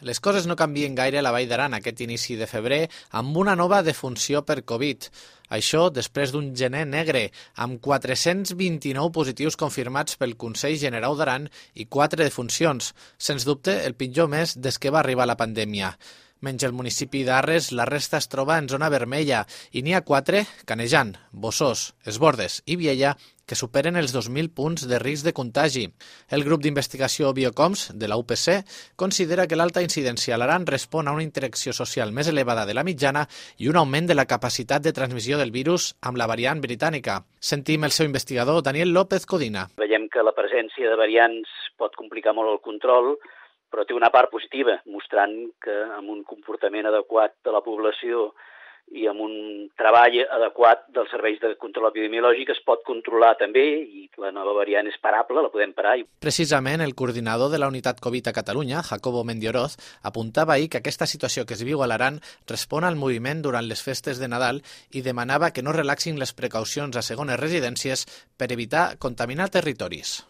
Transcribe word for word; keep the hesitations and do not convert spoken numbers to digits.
Les coses no canvien gaire a la Vall d'Aran aquest inici de febrer amb una nova defunció per Covid. Això després d'un gener negre, amb quatre-cents vint-i-nou positius confirmats pel Consell Generau d'Aran i quatre defuncions. Sens dubte, el pitjor mes des que va arribar la pandèmia. Menys el municipi d'Arres, la resta es troba en zona vermella i n'hi ha quatre, Canejan, Bossós, Esbordes i Viella, que superen els dos mil punts de risc de contagi. El grup d'investigació Biocoms de la U P C considera que l'alta incidència a l'Aran respon a una interacció social més elevada de la mitjana i un augment de la capacitat de transmissió del virus amb la variant britànica. Sentim el seu investigador, Daniel López Codina. Veiem que la presència de variants pot complicar molt el control, però té una part positiva, mostrant que amb un comportament adequat de la població i amb un treball adequat dels serveis de control epidemiològic es pot controlar també i la nova variant és parable, la podem parar. Precisament el coordinador de la unitat Covid a Catalunya, Jacobo Mendioroz, apuntava ahir que aquesta situació que es viu a l'Aran respon al moviment durant les festes de Nadal i demanava que no relaxin les precaucions a segones residències per evitar contaminar territoris.